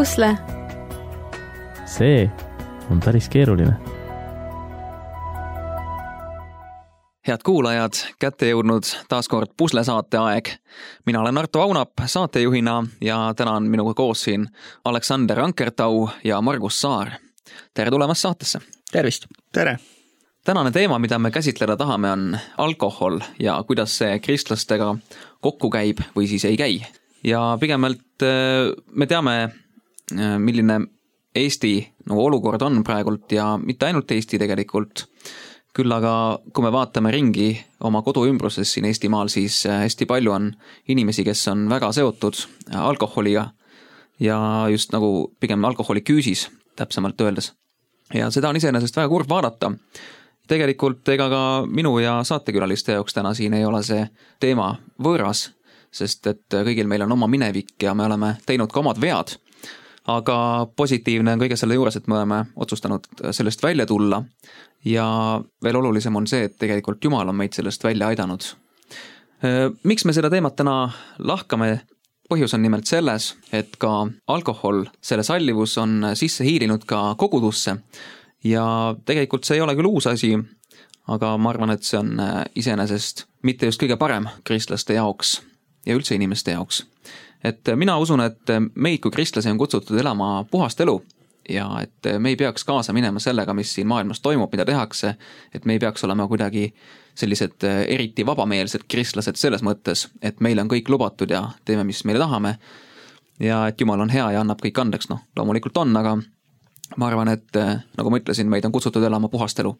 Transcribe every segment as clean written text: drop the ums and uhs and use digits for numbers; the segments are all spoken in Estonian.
pusle? See on päris keeruline. Head kuulajad, kätte jõudnud taaskord puslesaate aeg. Mina olen Arto Vaunap saatejuhina ja täna on minuga koos siin Aleksander Ankertau ja Margus Saar. Tere tulemast saatesse. Tervist. Tere. Tänane teema, mida me käsitleda tahame, on alkohol ja kuidas see kristlastega kokku käib või siis ei käi. Ja pigemalt me teame, milline Eesti olukord on praegult ja mitte ainult Eesti tegelikult. Küll aga kui me vaatame ringi oma kodu ümbruses siin Eestimaal, siis hästi palju on inimesi, kes on väga seotud alkoholiga ja just nagu pigem alkoholi küüsis, täpsemalt öeldes. Ja seda on iseenesest väga kurb vaadata. Tegelikult ega ka minu ja saatekülaliste jaoks täna siin ei ole see teema võõras, sest et kõigil meil on oma minevik ja me oleme teinud ka omad vead. Aga positiivne on kõige selle juures, et me oleme otsustanud sellest välja tulla ja veel olulisem on see, et tegelikult Jumal on meid sellest välja aidanud. Miks me seda teemat täna lahkame? Põhjus on nimelt selles, et ka alkohol, selle sallivus on sisse hiilinud ka kogudusse ja tegelikult see ei ole küll uus asi, aga ma arvan, et see on iseenesest mitte just kõige parem kristlaste jaoks ja üldse inimeste jaoks. Et mina usun, et meid kui kristlasi on kutsutud elama puhast elu ja et me ei peaks kaasa minema sellega, mis siin maailmas toimub, mida tehakse, et me ei peaks olema kuidagi sellised eriti vabameelsed kristlased selles mõttes, et meil on kõik lubatud ja teeme, mis meile tahame ja et Jumal on hea ja annab kõik andeks. Loomulikult on, aga ma arvan, et nagu ma ütlesin, meid on kutsutud elama puhast elu.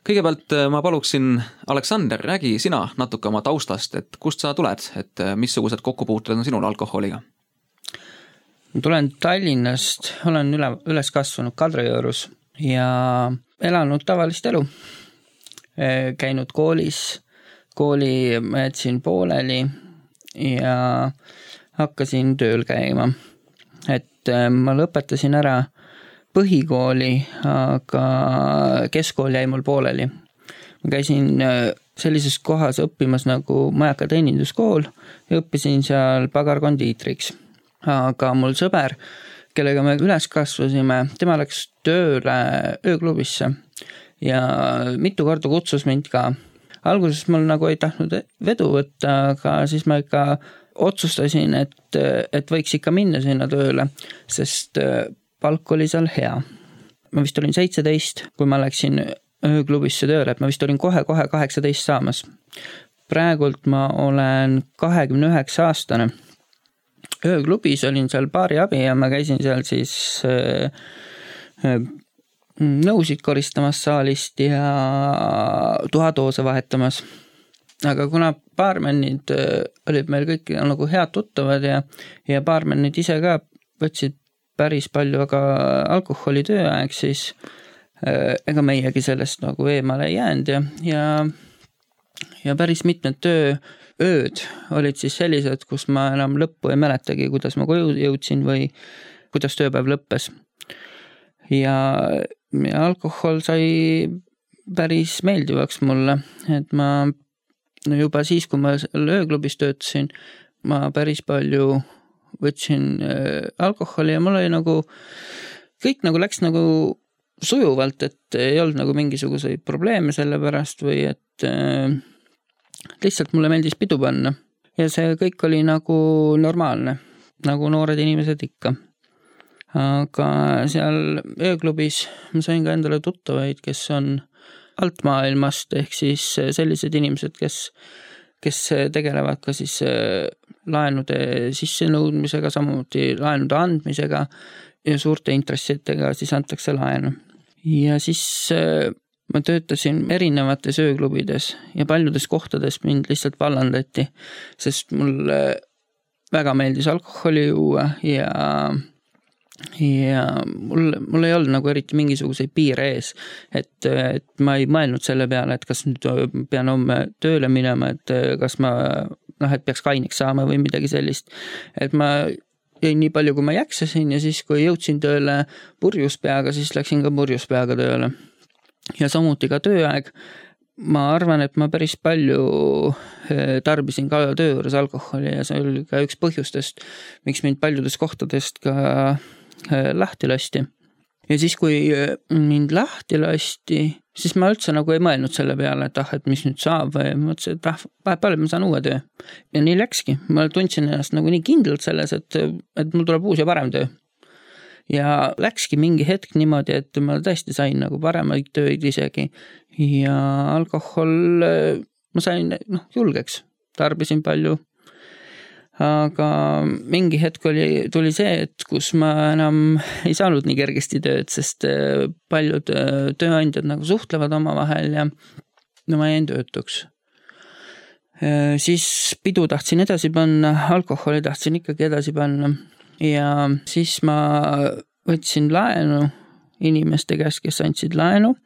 Kõigepealt ma paluksin, Aleksander, räägi sina natuke oma taustast, et kust sa tuled, et missugused kokkupuutled on sinul alkoholiga? Ma tulen Tallinnast, olen üles kasvanud Kadriorus ja elanud tavalist elu. Käinud koolis, kooli ma jätsin pooleli ja hakkasin tööl käima. Et ma lõpetasin ära põhikooli, aga keskkool jäi mul pooleli. Ma käisin sellises kohas õppimas nagu Majaka teeninduskool ja õppisin seal pagarkondiitriks. Aga mul sõber, kellega me üles kasvasime, tema läks tööle ööklubisse ja mitu korda kutsus mind ka. Alguses mul nagu ei tahtnud vedu võtta, aga siis ma ikka otsustasin, et võiks ikka minna sinna tööle, sest palk oli seal hea. Ma vist olin 17, kui ma läksin ööklubisse tööle, et ma vist olin kohe 18 saamas. Praegult ma olen 29 aastane. Ööklubis olin seal baari abi ja ma käisin seal siis nõusid koristamas saalist ja tuhatoose vahetamas. Aga kuna baarmennid olid meil kõik nagu head tuttavad ja baarmennid ise ka võtsid päris palju aga alkoholi tööaeg, siis ega meiegi sellest nagu eemale ei jäänud ja päris mitmed tööööd olid siis sellised, kus ma enam lõppu ei mäletagi, kuidas ma koju jõudsin või kuidas tööpäev lõppes. Ja alkohol sai päris meeldivaks mulle, et ma juba siis, kui ma ööklubis töötasin, ma päris palju võtsin alkoholi ja mul oli nagu, kõik nagu läks nagu sujuvalt, et ei olnud nagu mingisuguseid probleeme selle pärast või et lihtsalt mulle meeldis pidu panna. Ja see kõik oli nagu normaalne, nagu noored inimesed ikka. Aga seal ööklubis ma sain ka endale tuttavaid, kes on alt maailmast, ehk siis sellised inimesed, kes tegelevad ka siis laenude sissenõudmisega, samuti laenude andmisega ja suurte intressidega siis antakse laenu. Ja siis ma töötasin erinevates ööklubides ja paljudes kohtades mind lihtsalt vallandati, sest mulle väga meeldis alkoholi juua ja mul ei olnud nagu eriti mingisuguseid piire ees, et ma ei mõelnud selle peale, et kas nüüd pean homme tööle minema, et kas ma et peaks kaineks saama või midagi sellist. Et ma jõin nii palju, kui ma jaksasin ja siis, kui jõudsin tööle purjuspeaga, siis läksin ka purjuspeaga tööle. Ja samuti ka tööaeg. Ma arvan, et ma päris palju tarbisin ka töö juures alkoholi ja see oli ka üks põhjustest, miks mind paljudest kohtadest ka lahti lasti. Ja siis, kui mind lahti lasti, siis ma üldse nagu ei mõelnud selle peale, et mis nüüd saab või mõtlesin, et vahepeal ma saan uue töö. Ja nii läkski. Ma tundsin ennast nagu nii kindlalt selles, et mul tuleb uus ja parem töö. Ja läkski mingi hetk niimoodi, et ma tõesti sain nagu paremaid tööid isegi. Ja alkohol ma sain julgeks. Tarbisin palju. Aga mingi hetk tuli see, et kus ma enam ei saanud nii kergesti tööd, sest paljud tööandjad nagu suhtlevad omavahel ja ma jäin töötuks. Siis pidu tahtsin edasi panna, alkoholi tahtsin ikkagi edasi panna ja siis ma võtsin laenu inimeste käest, kes andsid laenu.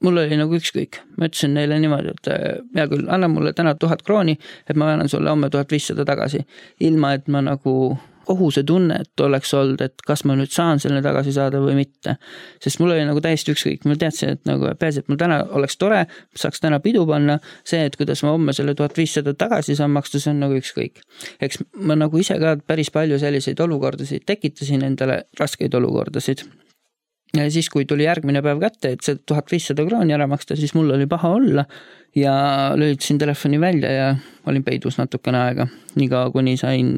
Mul oli nagu ükskõik. Ma ütlesin neile niimoodi, et hea küll, anna mulle täna 1000 krooni, et ma annan sulle homme 1500 tagasi. Ilma, et ma nagu kohuse tunne, et oleks olnud, et kas ma nüüd saan selle tagasi saada või mitte. Sest mul oli nagu täiesti ükskõik. Ma teadsin, et nagu peas, et mul täna oleks tore, saaks täna pidu panna. See, et kuidas ma homme selle 1500 tagasi saan maksta, see on nagu ükskõik. Eks ma nagu ise ka päris palju selliseid olukordasid tekitasin endale raskeid olukordasid. Ja siis, kui tuli järgmine päev kätte, et see 1500 krooni ära maksta, siis mul oli paha olla ja lülitasin telefoni välja ja olin peidus natukene aega. Niikaua, kuni sain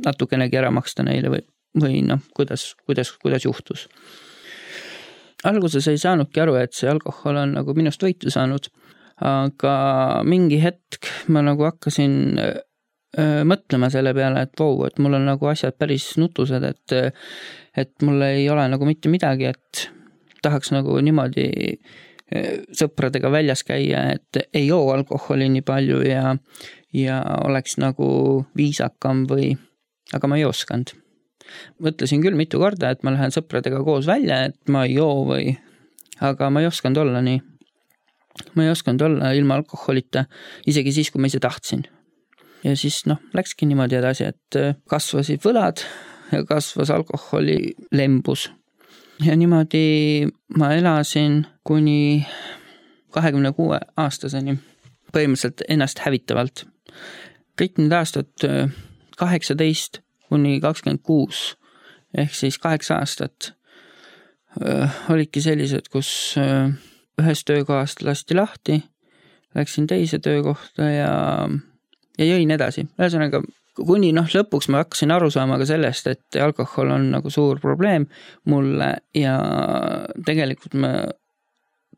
natukenegi ära maksta neile või kuidas juhtus. Alguses ei saanudki aru, et see alkohol on nagu minust võitu saanud, aga mingi hetk ma nagu hakkasin mõtlema selle peale, et mul on nagu asjad päris nutused, et mul ei ole nagu mitte midagi, et tahaks nagu niimoodi sõpradega väljas käia, et ei joo alkoholi nii palju ja oleks nagu viisakam aga ma ei oskanud. Mõtlesin küll mitu korda, et ma lähen sõpradega koos välja, et ma ei joo aga ma ei osanud olla nii. Ma ei osanud olla ilma alkoholita, isegi siis, kui ma ise tahtsin. Ja siis läkski niimoodi edasi, et kasvasid võlad ja kasvas alkoholi lembus. Ja niimoodi ma elasin kuni 26 aastaseni, põhimõtteliselt ennast hävitavalt. Kõik need aastad 18 kuni 26 ehk siis 8 aastat olidki sellised, kus ühest töökohast lasti lahti, läksin teise töökohta ja jõin edasi. Ühesõnaga, kuni lõpuks ma hakkasin aru saama ka sellest, et alkohol on nagu suur probleem mulle ja tegelikult ma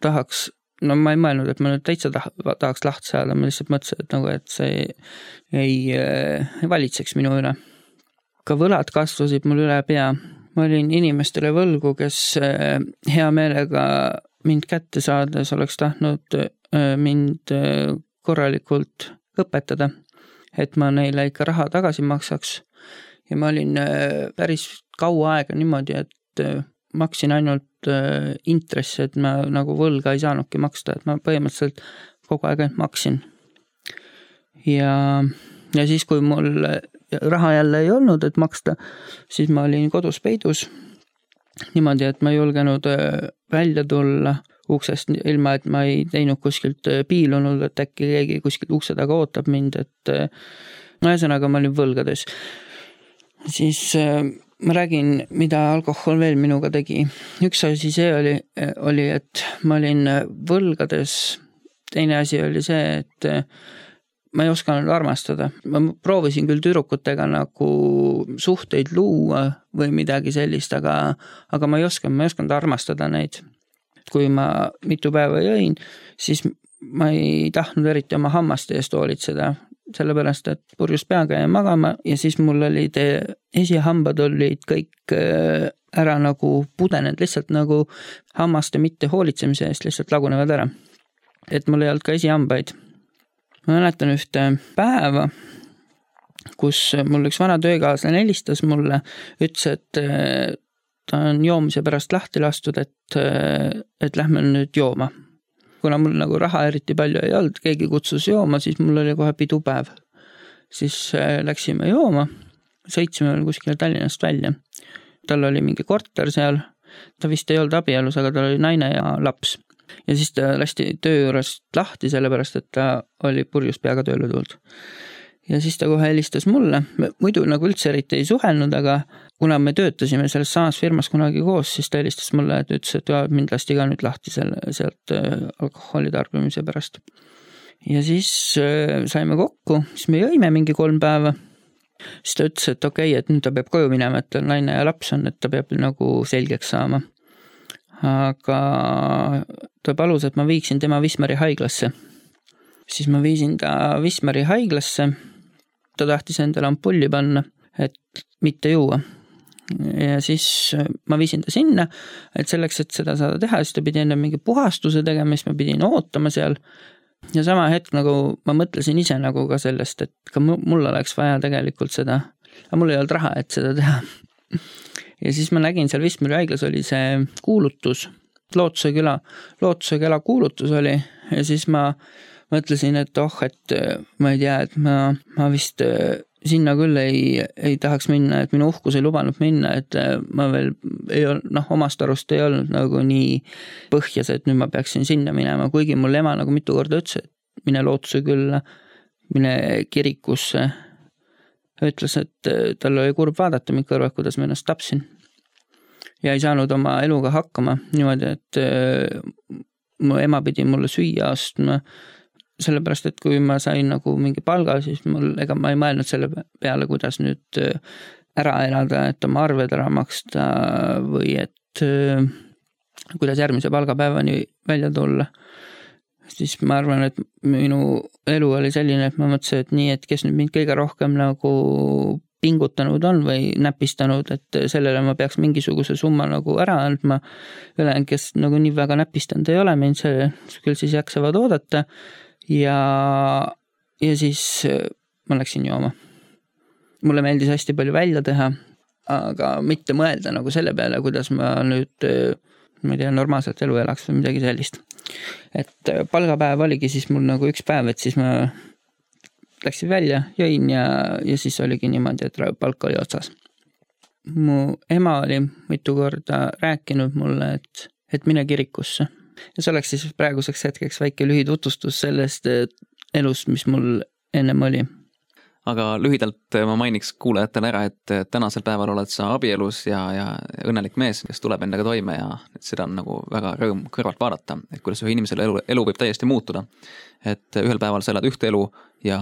tahaks, ma ei mõelnud, et ma nüüd täitsa tahaks lahti saada, ma lihtsalt mõtlesin, et see ei valitseks minu üle. Ka võlad kasvasid mul üle pea. Ma olin inimestele võlgu, kes hea meelega mind kätte saades oleks tahtnud mind korralikult õpetada, et ma neile ikka raha tagasi maksaks. Ja ma olin päris kaua aega niimoodi, et maksin ainult intress, et ma nagu võlga ei saanudki maksta, et ma põhimõtteliselt kogu aeg maksin. Ja siis, kui mul raha jälle ei olnud, et maksta, siis ma olin kodus peidus niimoodi, et ma ei julgenud välja tulla uksest ilma, et ma ei teinud kuskilt piilunud, et äkki keegi kuskilt ukse taga ootab mind, et ühesõnaga ma olin võlgades. Siis ma räägin, mida alkohol veel minuga tegi. Üks asi see oli, et ma olin võlgades. Teine asi oli see, et ma ei osanud armastada. Ma proovisin küll tüdrukutega nagu suhteid luua või midagi sellist, aga ma ei osanud armastada neid. Kui ma mitu päeva jõin, siis ma ei tahtnud eriti oma hammaste eest hoolitseda, sellepärast, et purjus peaga jäin magama ja siis mul olid esihambad olid kõik ära nagu pudenenud, lihtsalt nagu hammaste mitte hoolitsemise eest lihtsalt lagunevad ära. Et mul ei olnud ka esihambaid. Ma mäletan ühte päeva, kus mul üks vana töökaaslane helistas mulle, ütles, et ta on joomise pärast lahti lastud, et lähme nüüd jooma. Kuna mul nagu raha eriti palju ei olnud, keegi kutsus jooma, siis mul oli kohe pidupäev. Siis läksime jooma, sõitsime kuskile Tallinnast välja. Tal oli mingi korter seal, ta vist ei olnud abielus, aga tal oli naine ja laps. Ja siis ta lasti töö juurest lahti, sellepärast, et ta oli purjus peaga tööle tulnud. ja siis ta kohe helistas mulle, muidu nagu üldse eriti ei suhelnud, aga kuna me töötasime selles samas firmas kunagi koos, siis ta helistas mulle, et ütles, et mind lasti ka nüüd lahti sealt alkoholi tarbimise pärast. Ja siis saime kokku, siis me jõime mingi 3 päeva. Siis ta ütles, et okei, et nüüd ta peab koju minema, et naine ja laps on, et ta peab nagu selgeks saama. Aga ta palus, et ma viiksin tema Wismari haiglasse. Siis ma viisin ta Wismari haiglasse. Ta tahtis endale ampulli panna, et mitte juua. Ja siis ma viisin ta sinna, et selleks, et seda saada teha, siis ta pidi enne mingi puhastuse tegema, siis ma pidin ootama seal. Ja sama hetk nagu ma mõtlesin ise nagu ka sellest, et ka mul oleks vaja tegelikult seda, aga mul ei olnud raha, et seda teha. Ja siis ma nägin seal Wismari haiglas oli see kuulutus, Lootuse küla kuulutus oli ja siis ma mõtlesin, et et ma ei tea, et ma vist sinna küll ei tahaks minna, et minu uhkus ei lubanud minna, et ma veel ei olnud, omast arust ei olnud nagu nii põhjas, et nüüd ma peaksin sinna minema, kuigi mul ema nagu mitu korda ütles, et mine Lootuse külla, mine kirikusse. Ütles, et tal oli kurb vaadata mind kõrvad, kuidas ma ennast tapsin. Ja ei saanud oma eluga hakkama niimoodi, et mu ema pidi mulle süüa astma, sellepärast, et kui ma sain nagu mingi palga, siis ega ma ei mõelnud selle peale, kuidas nüüd ära elada, et oma arved ära maksta või et kuidas järgmise palgapäevani välja tulla. Siis ma arvan, et minu elu oli selline, et ma mõtlesin, et nii, et kes nüüd mind kõige rohkem nagu pingutanud on või näpistanud, et sellele ma peaks mingisuguse summa nagu ära andma. Ülejäänud, kes nagu nii väga näpistanud ei ole, mind see küll siis jaksavad oodata ja siis ma läksin jooma. Mulle meeldis hästi palju välja teha, aga mitte mõelda nagu selle peale, kuidas ma nüüd ma ei tea, normaalselt elu elaks või midagi sellist. Et palgapäev oligi siis mul nagu üks päev, et siis ma läksin välja, jõin ja siis oligi niimoodi, et palk oli otsas. Mu ema oli mitu korda rääkinud mulle, et mine kirikusse. Ja see oleks siis praeguseks hetkeks väike lühitutvustus sellest elust, mis mul ennem oli. Aga lühidalt ma mainiks kuulajatele ära, et tänasel päeval oled sa abielus ja õnnelik mees, kes tuleb endaga toime ja seda on nagu väga rõõm kõrvalt vaadata, et kuidas ühe inimesele elu võib täiesti muutuda. Et ühel päeval sa elad ühte elu ja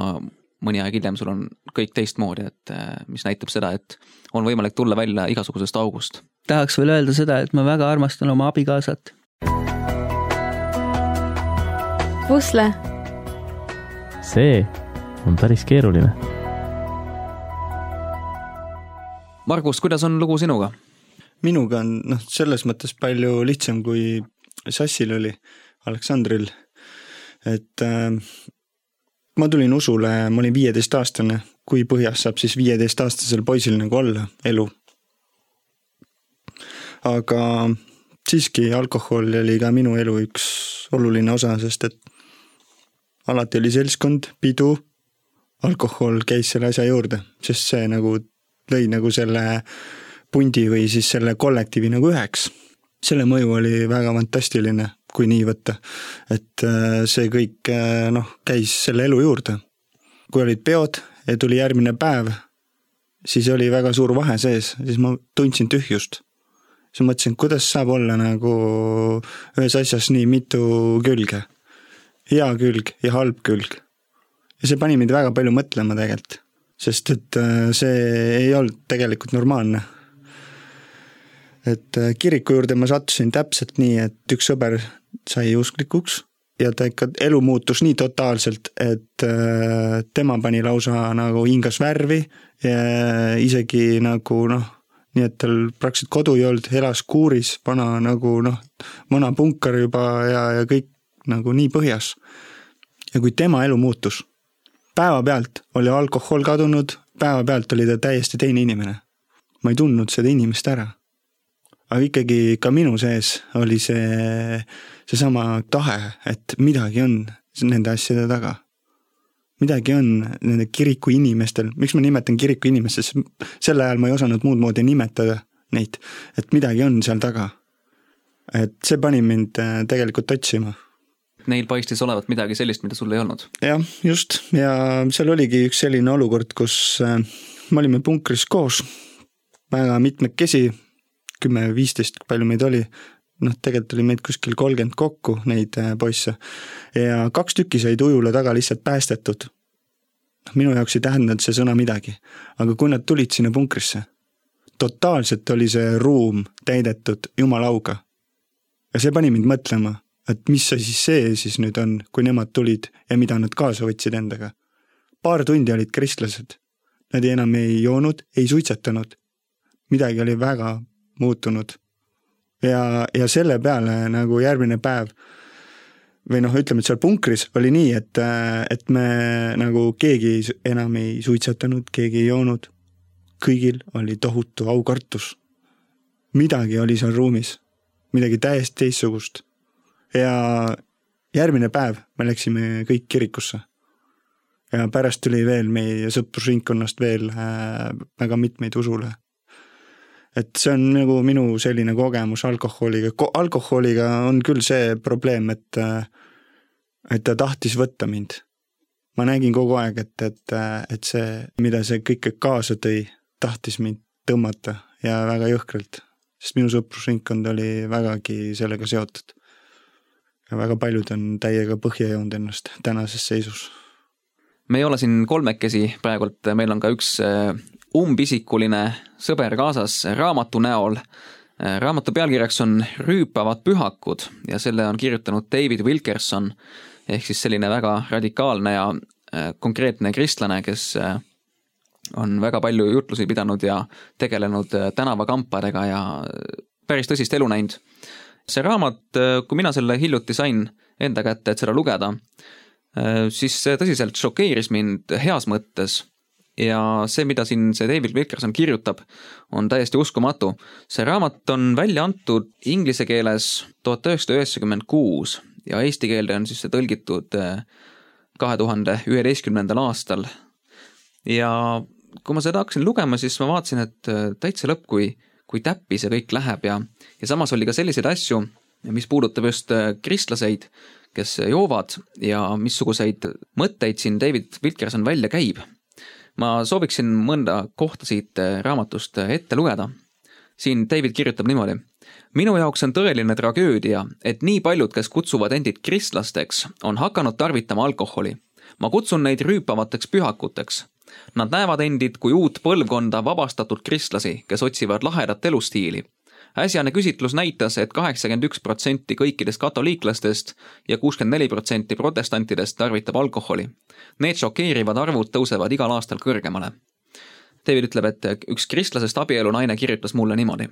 mõni aeg hiljem sul on kõik teistmoodi, et mis näitab seda, et on võimalik tulla välja igasugusest august. Tahaks veel öelda seda, et ma väga armastan oma abikaasat. Pusle. See on päris keeruline. Margus, kuidas on lugu sinuga? Minuga on selles mõttes palju lihtsam kui Sassil oli, Aleksandril. Et ma tulin usule, ma olin 15-aastane, kui põhjas saab siis 15-aastasel poisil nagu olla elu. Aga siiski alkohol oli ka minu elu üks oluline osa, sest et alati oli seltskond, pidu, alkohol käis selle asja juurde, sest see nagu lõi nagu selle pundi või siis selle kollektiivi nagu üheks. Selle mõju oli väga fantastiline, kui nii võtta. Et see kõik käis selle elu juurde. Kui olid peod ja tuli järgmine päev, siis oli väga suur vahe sees, siis ma tundsin tühjust. Siis mõtlesin, kuidas saab olla nagu ühes asjas nii mitu külge. Hea külg ja halb külg. Ja see pani mind väga palju mõtlema tegelikult, sest et see ei olnud tegelikult normaalne. Et kiriku juurde ma sattusin täpselt nii, et üks sõber sai usklikuks ja ta ikka elu muutus nii totaalselt, et tema pani lausa nagu hingas värvi ja isegi nagu nii et tal praktiliselt kodu ei olnud, elas kuuris, vana punkar juba ja kõik nagu nii põhjas. Ja kui tema elu muutus, päeva pealt oli alkohol kadunud, päeva pealt oli ta täiesti teine inimene. Ma ei tundnud seda inimest ära. Aga ikkagi ka minu sees oli see sama tahe, et midagi on nende asjade taga. Midagi on nende kiriku inimestel. Miks ma nimetan kiriku inimestes? Selle ajal ma ei osanud muud moodi nimetada neid, et midagi on seal taga. Et see pani mind tegelikult otsima. Neil paistis olevat midagi sellist, mida sul ei olnud. Jah, just. Ja seal oligi üks selline olukord, kus me olime punkris koos, väga mitmekesi, 10-15, palju meid oli. Tegelikult oli meid kuskil 30 kokku neid poisse ja 2 tükki said ujula taga lihtsalt päästetud. Minu jaoks ei tähendanud see sõna midagi, aga kui nad tulid sinna punkrisse, totaalselt oli see ruum täidetud jumalauga. Ja see pani mind mõtlema, et mis see siis nüüd on, kui nemad tulid ja mida nad kaasa võtsid endaga. Paar tundi olid kristlased. Nad enam ei joonud, ei suitsetanud. Midagi oli väga muutunud. Ja selle peale nagu järgmine päev, või ütleme, et seal punkris oli nii, et me nagu keegi enam ei suitsetanud, keegi ei joonud. Kõigil oli tohutu aukartus. Midagi oli seal ruumis. Midagi täiesti teistsugust. Ja järgmine päev me läksime kõik kirikusse. Ja pärast tuli veel meie sõprusringkonnast veel väga mitmeid usule. Et see on nagu minu selline kogemus alkoholiga. Alkoholiga on küll see probleem, et ta tahtis võtta mind. Ma nägin kogu aeg, et see, mida see kõike kaasa tõi, tahtis mind tõmmata ja väga jõhkralt, sest minu sõprusringkond oli vägagi sellega seotud. Ja väga paljud on täiega põhja joonud ennast tänases seisus. Me ei ole siin kolmekesi praegult, meil on ka üks umbisikuline sõber kaasas raamatu näol. Raamatu pealkirjaks on Rüüpavad pühakud ja selle on kirjutanud David Wilkerson, ehk siis selline väga radikaalne ja konkreetne kristlane, kes on väga palju jutlusi pidanud ja tegelenud tänavakampadega ja päris tõsist elu näinud. See raamat, kui mina selle hiljuti sain enda kätte, et seda lugeda, siis see tõsiselt šokeeris mind heas mõttes ja see, mida siin see David Wilkerson kirjutab, on täiesti uskumatu. See raamat on välja antud inglise keeles 1996 ja eesti keelde on siis see tõlgitud 2011. aastal. Ja kui ma seda hakkasin lugema, siis ma vaatasin, et täitsa lõpp, kui täppi see kõik läheb ja samas oli ka selliseid asju, mis puudutab just kristlaseid, kes joovad ja missuguseid mõtteid siin David Wilkerson välja käib. Ma sooviksin mõnda kohta siit raamatust ette lugeda. Siin David kirjutab niimoodi. Minu jaoks on tõeline tragöödia, et nii paljud, kes kutsuvad endid kristlasteks, on hakanud tarvitama alkoholi. Ma kutsun neid rüüpavateks pühakuteks. Nad näevad endid kui uut põlvkonda vabastatud kristlasi, kes otsivad lahedat elustiili. Äsjane küsitlus näitas, et 81% kõikidest katoliiklastest ja 64% protestantidest tarvitab alkoholi. Need šokeerivad arvud tõusevad igal aastal kõrgemale. David ütleb, et üks kristlasest abielu naine kirjutas mulle niimoodi.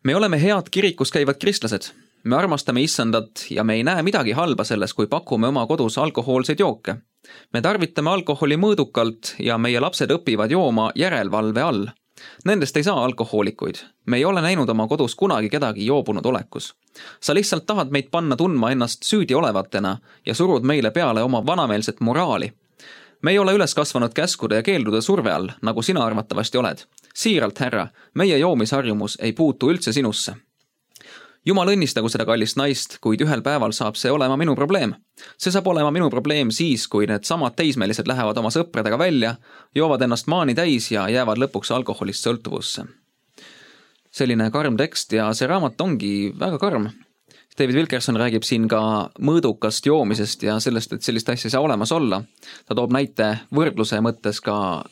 Me oleme head kirikus käivad kristlased. Me armastame issandat ja me ei näe midagi halba selles, kui pakume oma kodus alkohoolseid jooke. Me tarvitame alkoholi mõõdukalt ja meie lapsed õpivad jooma järelvalve all. Nendest ei saa alkohoolikuid. Me ei ole näinud oma kodus kunagi kedagi joobunud olekus. Sa lihtsalt tahad meid panna tundma ennast süüdi olevatena ja surud meile peale oma vanameelset moraali. Me ei ole üles kasvanud käskude ja keeldude surve all, nagu sina arvatavasti oled. Siiralt, härra, meie joomisharjumus ei puutu üldse sinusse. Jumal õnnistagu seda kallist naist, kuid ühel päeval saab see olema minu probleem. See saab olema minu probleem siis, kui need samad teismelised lähevad oma sõpradega välja, joovad ennast maani täis ja jäävad lõpuks alkoholist sõltuvusse. Selline karm tekst ja see raamat ongi väga karm. David Wilkerson räägib siin ka mõõdukast joomisest ja sellest, et sellist asja ei saa olemas olla. Ta toob näite võrdluse mõttes ka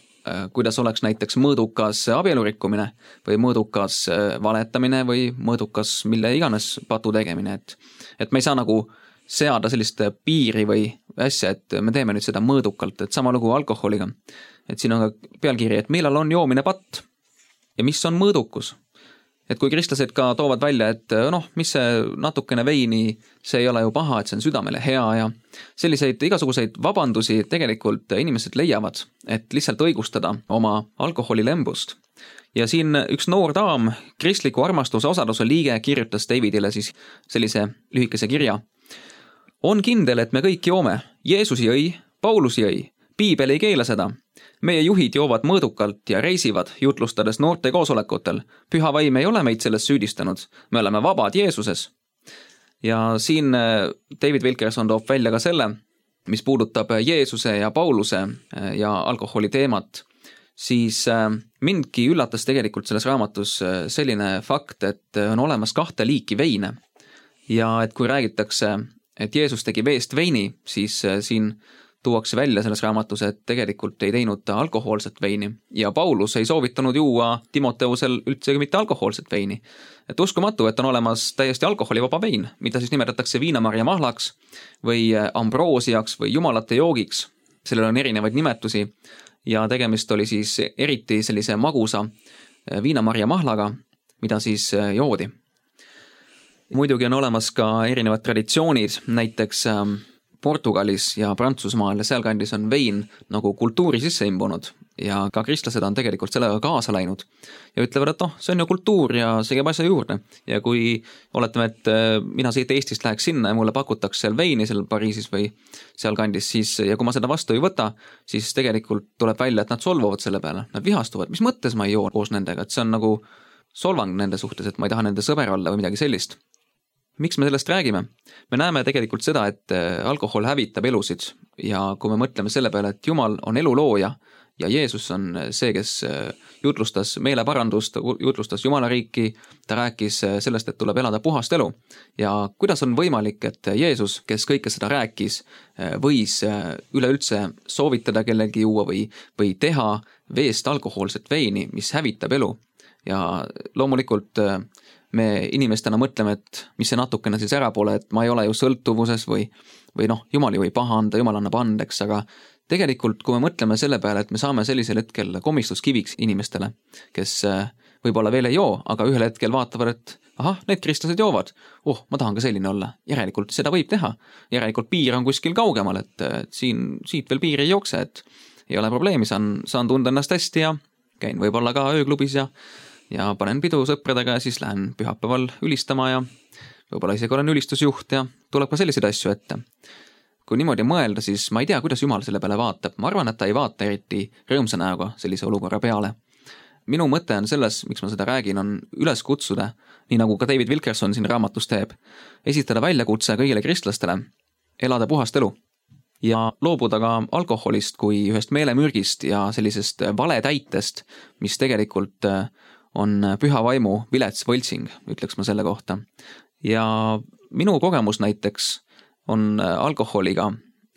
kuidas oleks näiteks mõõdukas abielurikkumine või mõõdukas valetamine või mõõdukas mille iganes patu tegemine. Et me ei saa nagu seada sellist piiri või asja, et me teeme nüüd seda mõõdukalt, et sama lugu alkoholiga. Et siin on ka pealkiri, et millal on joomine patt ja mis on mõõdukus. Et kui kristlased ka toovad välja, et mis see natukene veini, see ei ole ju paha, et see on südamele hea ja selliseid igasuguseid vabandusi tegelikult inimesed leiavad, et lihtsalt õigustada oma alkoholilembust. Ja siin üks noor daam, kristliku armastuse osaluse liige, kirjutas Davidile siis sellise lühikese kirja. On kindel, et me kõik joome. Jeesus jõi, Paulus jõi, Piibel ei keela seda. Meie juhid joovad mõõdukalt ja reisivad, jutlustades noorte koosolekutel. Püha vaim ei ole meid selles süüdistanud. Me oleme vabad Jeesuses. ja siin David Wilkerson toob välja ka selle, mis puudutab Jeesuse ja Pauluse ja alkoholi teemat, siis mindki üllatas tegelikult selles raamatus selline fakt, et on olemas 2 liiki veine ja et kui räägitakse, et Jeesus tegi veest veini, siis siin tuuakse välja selles raamatus, et tegelikult ei teinud ta alkohoolset veini ja Paulus ei soovitanud juua Timoteusel üldsegi mitte alkohoolset veini. Et uskumatu, et on olemas täiesti alkoholivaba vein, mida siis nimetatakse viinamarja mahlaks või ambroosiaks või jumalate joogiks. Sellel on erinevaid nimetusi ja tegemist oli siis eriti sellise magusa viinamarja mahlaga, mida siis joodi. Muidugi on olemas ka erinevad traditsioonid, näiteks Portugalis ja Prantsusmaal ja sealkandis on vein nagu kultuuri sisse imbunud ja ka kristlased on tegelikult sellega kaasa läinud ja ütlevad, et see on ju kultuur ja see käib asja juurde. Ja kui oletame, et mina siit Eestist läheks sinna ja mulle pakutakse seal veini seal Pariisis või sealkandis, siis ja kui ma seda vastu ei võta, siis tegelikult tuleb välja, et nad solvuvad selle peale, nad vihastuvad, mis mõttes ma ei joo koos nendega, et see on nagu solvang nende suhtes, et ma ei taha nende sõber olla või midagi sellist. Miks me sellest räägime? Me näeme tegelikult seda, et alkohol hävitab elusid ja kui me mõtleme selle peale, et Jumal on elu looja ja Jeesus on see, kes jutlustas meeleparandust, jutlustas Jumala riiki, ta rääkis sellest, et tuleb elada puhast elu. Ja kuidas on võimalik, et Jeesus, kes kõike seda rääkis, võis üleüldse soovitada kellelgi juua või teha veest alkohoolset veini, mis hävitab elu? Ja loomulikult me inimestena mõtleme, et mis see natukene siis ära pole, et ma ei ole ju sõltuvuses või Jumal ju ei pahanda, Jumal annab andeks, aga tegelikult kui me mõtleme selle peale, et me saame sellisel hetkel komistuskiviks inimestele, kes võib-olla veel ei joo, aga ühel hetkel vaatavad, et need kristlased joovad, ma tahan ka selline olla, järelikult seda võib teha, järelikult piir on kuskil kaugemal, et siit veel piir ei jookse, et ei ole probleemi, saan tunda ennast hästi ja käin võib-olla ka ööklubis ja panen pidu sõpradega ja siis lähen pühapäeval ülistama ja võib-olla isegi olen ülistusjuht ja tuleb ka selliseid asju ette. Kui niimoodi mõelda, siis ma ei tea, kuidas Jumal selle peale vaatab. Ma arvan, et ta ei vaata eriti rõõmsa näoga sellise olukorra peale. Minu mõte on selles, miks ma seda räägin, on üles kutsuda, nii nagu ka David Wilkerson siin raamatus teeb, esitada väljakutse kõigile kristlastele, elada puhast elu ja loobuda ka alkoholist kui ühest meelemürgist ja sellisest valetäitest, mis tegelikult on püha vaimu vilets võltsing, ütleks ma selle kohta. Ja minu kogemus näiteks on alkoholiga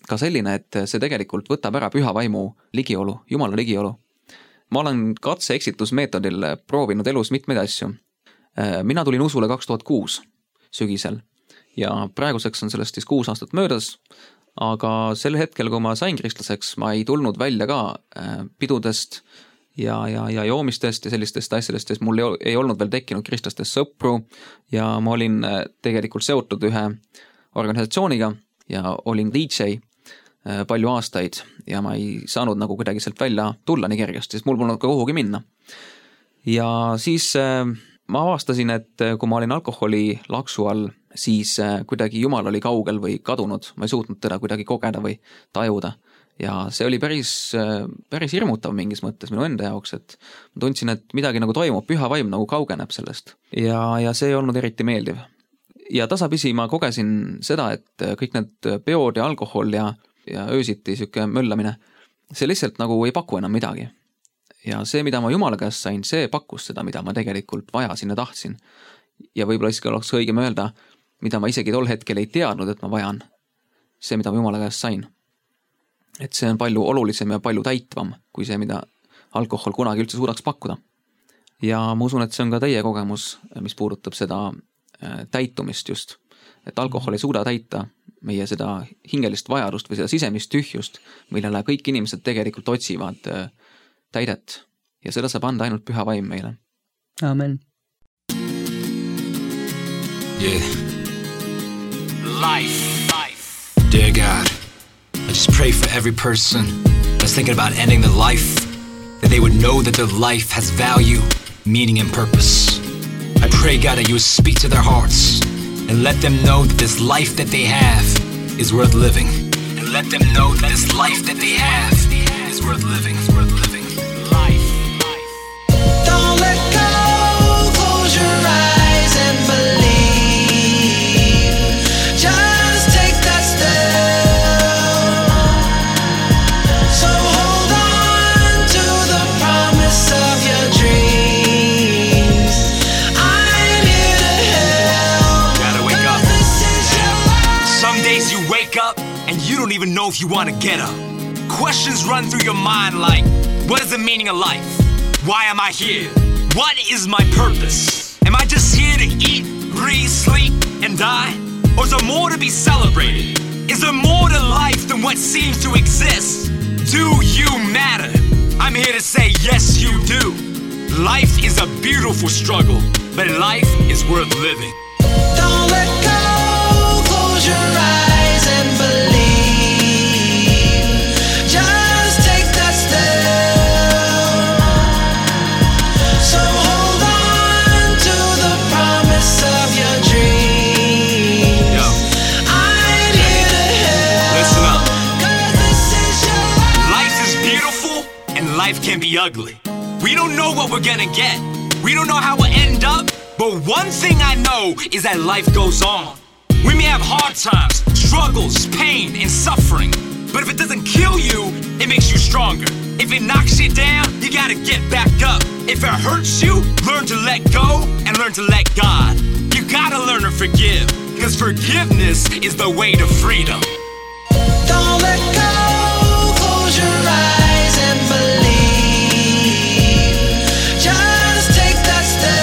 ka selline, et see tegelikult võtab ära püha vaimu ligiolu, Jumala ligiolu. Ma olen katse-eksitusmeetodil proovinud elus mitmeid asju. Mina tulin usule 2006 sügisel ja praeguseks on sellest siis 6 aastat möödas, aga sel hetkel, kui ma sain kristlaseks, ma ei tulnud välja ka pidudest ja joomistest ja sellistest asjadest, sest mul ei olnud veel tekkinud kristlastest sõpru ja ma olin tegelikult seotud ühe organisatsiooniga ja olin DJ palju aastaid ja ma ei saanud nagu kuidagi sealt välja tulla nii kergesti, sest mul polnud ka kuhugi minna. Ja siis ma avastasin, et kui ma olin alkoholi laksu all, siis kuidagi Jumal oli kaugel või kadunud, ma ei suutnud teda kuidagi kogeda või tajuda. Ja see oli päris hirmutav mingis mõttes minu enda jaoks, et ma tundsin, et midagi nagu toimub, püha vaim nagu kaugeneb sellest ja see ei olnud eriti meeldiv. Ja tasapisi ma kogesin seda, et kõik need peod ja alkohol ja öösiti siuke möllamine, see lihtsalt nagu ei paku enam midagi. Ja see, mida ma Jumala käest sain, see pakkus seda, mida ma tegelikult vajasin ja tahtsin. Ja võib-olla isegi oleks õigem öelda, mida ma isegi tol hetkel ei teadnud, et ma vajan. See, mida ma Jumala käest sain. Et see on palju olulisem ja palju täitvam kui see, mida alkohol kunagi üldse suudaks pakkuda. Ja ma usun, et see on ka teie kogemus, mis puudutab seda täitumist just. Et alkohol ei suuda täita meie seda hingelist vajadust või seda sisemist tühjust, millele kõik inimesed tegelikult otsivad täidet. Ja seda saab anda ainult püha vaim meile. Amen. Yeah. Life. Dear God, I just pray for every person that's thinking about ending their life, that they would know that their life has value, meaning and purpose. I pray, God, that you would speak to their hearts and let them know that this life that they have is worth living. And let them know that this life that they have is worth living. Life. Don't let go, close your eyes and believe. don't even know if you want to get up. Questions run through your mind like, what is the meaning of life? Why am I here? What is my purpose? Am I just here to eat, breathe, sleep, and die? Or is there more to be celebrated? Is there more to life than what seems to exist? Do you matter? I'm here to say yes you do. Life is a beautiful struggle, but life is worth living. Don't let go, close your eyes and believe. Just take that step. So hold on to the promise of your dreams. Yo. I'm here to help. Listen up. 'Cause this is your Life is beautiful and life can be ugly. We don't know what we're gonna get. We don't know how we'll end up. But one thing I know is that life goes on. We may have hard times, struggles, pain, and suffering. But if it doesn't kill you, it makes you stronger. If it knocks you down, you gotta get back up. If it hurts you, learn to let go and learn to let God. You gotta learn to forgive, because forgiveness is the way to freedom. Don't let go, close your eyes and believe. Just take that step.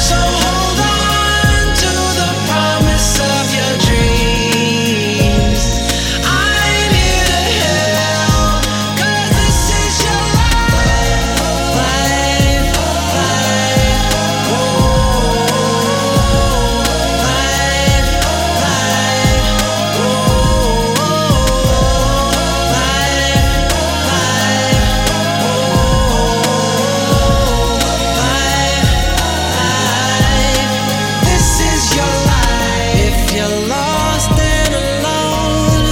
So hold on to the promise of your dreams. I'm here to help, 'cause this is your life. Life, life, oh, life, life, oh, this is your life. If you're lost and alone,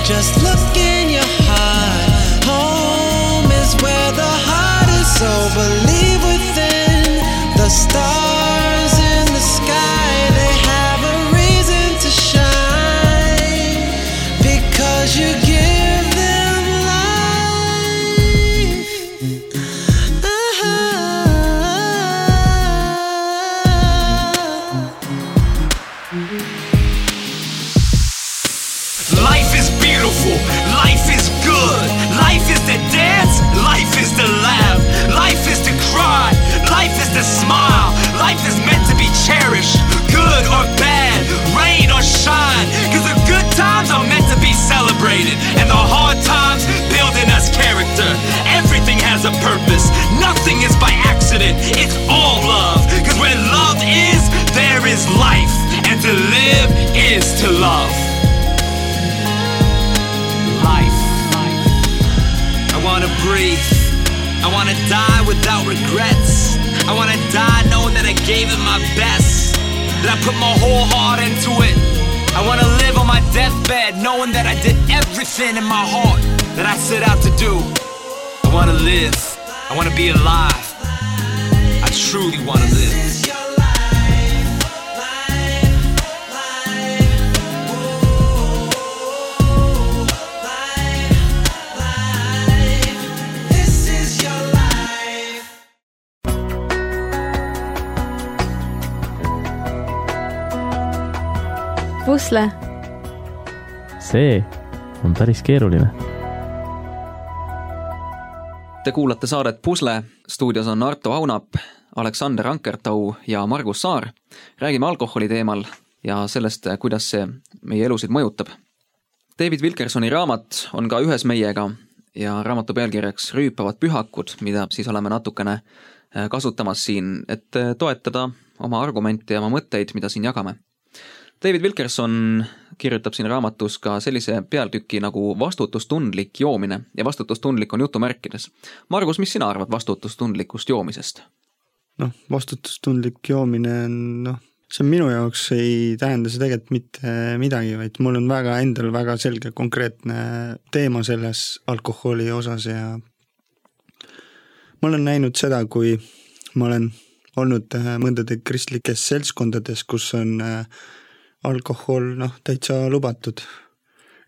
just look in your heart. Home is where the heart is, so believe within. The stars in the sky, they have a reason to shine, because you give them life. Life is beautiful, life is good, life is to dance, life is to laugh, life is to cry, life is to smile, life is meant to be cherished, good or bad, rain or shine, cause the good times are meant to be celebrated, and the hard times build in us character. Everything has a purpose, nothing is by accident, it's all love, cause where love is, there is life, and to live is to love. Life. I wanna breathe. I wanna die without regrets. I wanna die knowing that I gave it my best, that I put my whole heart into it. I wanna live on my deathbed knowing that I did everything in my heart that I set out to do. I wanna live. I wanna be alive. I truly wanna live. This is your life, life, life, oh, life, life. This is your life. Pusle, see on päris keeruline. Te kuulate saadet Pusle, stuudios on Arto Aunap, Aleksander Ankertau ja Margus Saar. Räägime alkoholi teemal ja sellest, kuidas see meie elusid mõjutab. David Wilkersoni raamat on ka ühes meiega ja raamatu pealkirjaks Rüüpavad pühakud, mida siis oleme natukene kasutamas siin, et toetada oma argumente ja oma mõtteid, mida siin jagame. David Wilkerson kirjutab siin raamatus ka sellise pealtüki nagu vastutustundlik joomine ja vastutustundlik on jutumärkides. Margus, mis sina arvad vastutustundlikust joomisest? Vastutustundlik joomine on, see minu jaoks ei tähenda see tegelikult mitte midagi, vaid mul on endal väga selge konkreetne teema selles alkoholi osas ja ma olen näinud seda, kui ma olen olnud mõndade kristlikes seltskondades, kus on alkohol täitsa lubatud